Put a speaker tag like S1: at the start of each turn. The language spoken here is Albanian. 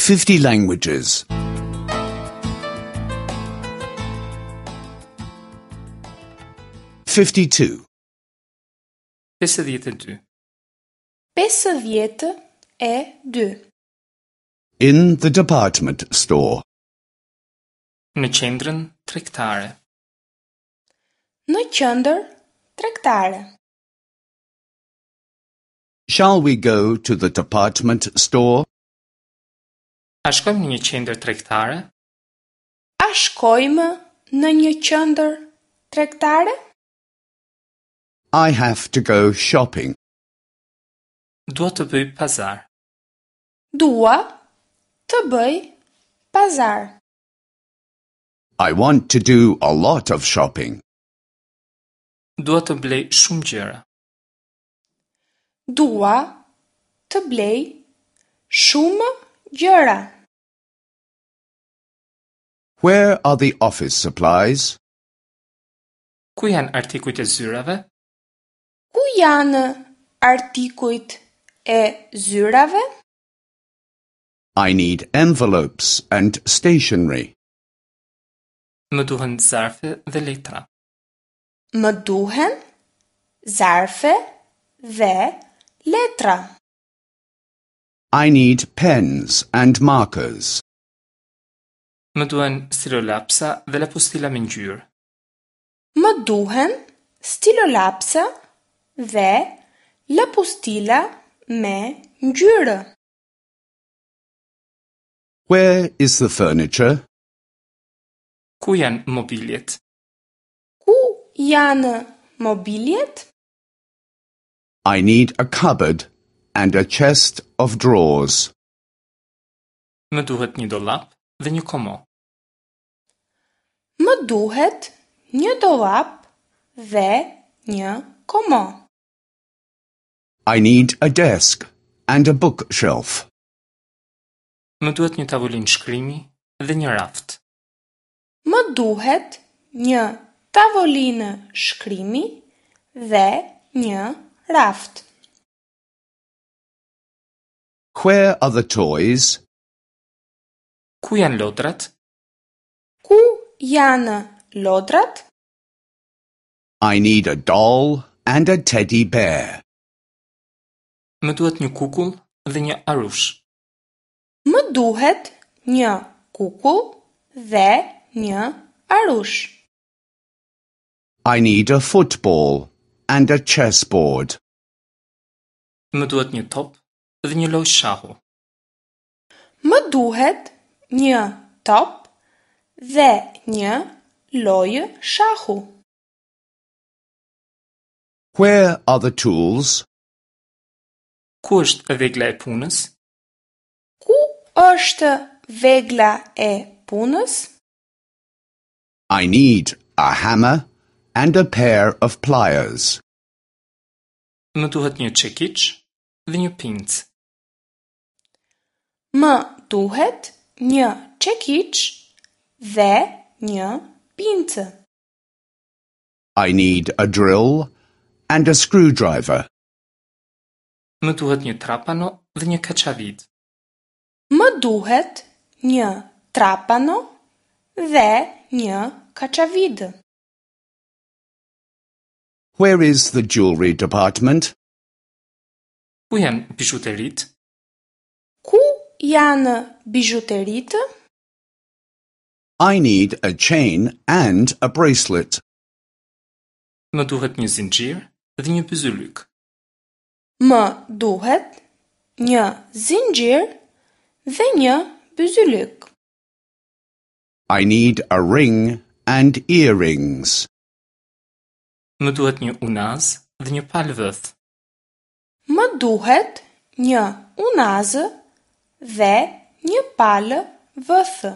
S1: 50 languages. 52.
S2: 52.
S3: 52.
S1: In the department store.
S2: Në qendrën tregtare.
S3: Në qendër tregtare.
S1: Shall we go to the department store?
S2: A shkojmë në një qendër tregtare?
S3: A shkojmë në një qendër tregtare?
S1: I have to go shopping.
S2: Dua të bëj pazar.
S3: Dua të bëj pazar.
S1: I want to do a lot of shopping.
S2: Dua të blej shumë gjëra.
S3: Dua të blej shumë gjëra.
S1: Where are the office supplies?
S2: Ku janë artikujt e zyrave?
S3: Ku janë artikujt e zyrave?
S1: I need envelopes and stationery.
S2: Më duhen zarfe dhe letra.
S3: Më duhen zarfe dhe letra.
S1: I need pens and markers.
S2: Më duhen stilolapsa dhe lapustila me ngjyrë.
S3: Më duhen stilolapsa dhe lapustila me ngjyrë.
S1: Where is the furniture?
S2: Ku janë mobiljet?
S3: Ku janë mobiljet?
S1: I need a cupboard and a chest of drawers.
S2: Më duhet një dollap dhe një komo.
S3: Më duhet një dollap dhe një komo.
S1: I need a desk and a bookshelf.
S2: Më duhet një tavolinë shkrimi dhe një raft.
S3: Më duhet një tavolinë shkrimi dhe një raft.
S1: Where are the toys?
S2: Ku janë lodrat?
S3: Ku janë lodrat?
S1: I need a doll and a teddy bear.
S2: Më duhet një kukull dhe një arush.
S3: Më duhet një kukull dhe një arush.
S1: I need a football and a chessboard.
S2: Më duhet një top dhe një lojë shahu.
S3: Më duhet një top dhe një lojë shahu.
S1: Where are the tools?
S2: Ku është vegla e punës?
S3: Ku është vegla e punës?
S1: I need a hammer and a pair of pliers.
S2: Më duhet një çekiç dhe një pincë.
S3: Më duhet një çekiç dhe një pincë.
S1: I need a drill and a screwdriver.
S2: Më duhet një trapano dhe një kaçavid.
S3: Më duhet një trapano dhe një kaçavid.
S1: Where is the jewelry department?
S2: Ku janë bizhuteritë?
S3: Ku janë bizhuteritë?
S1: I need a chain and a bracelet.
S2: Më duhet një zinxhir dhe një byzylyk.
S3: Më duhet një zinxhir dhe një byzylyk.
S1: I need a ring and earrings.
S2: Më duhet një unazë dhe një palë vëth.
S3: Më duhet një unazë dhe një palë vëthë.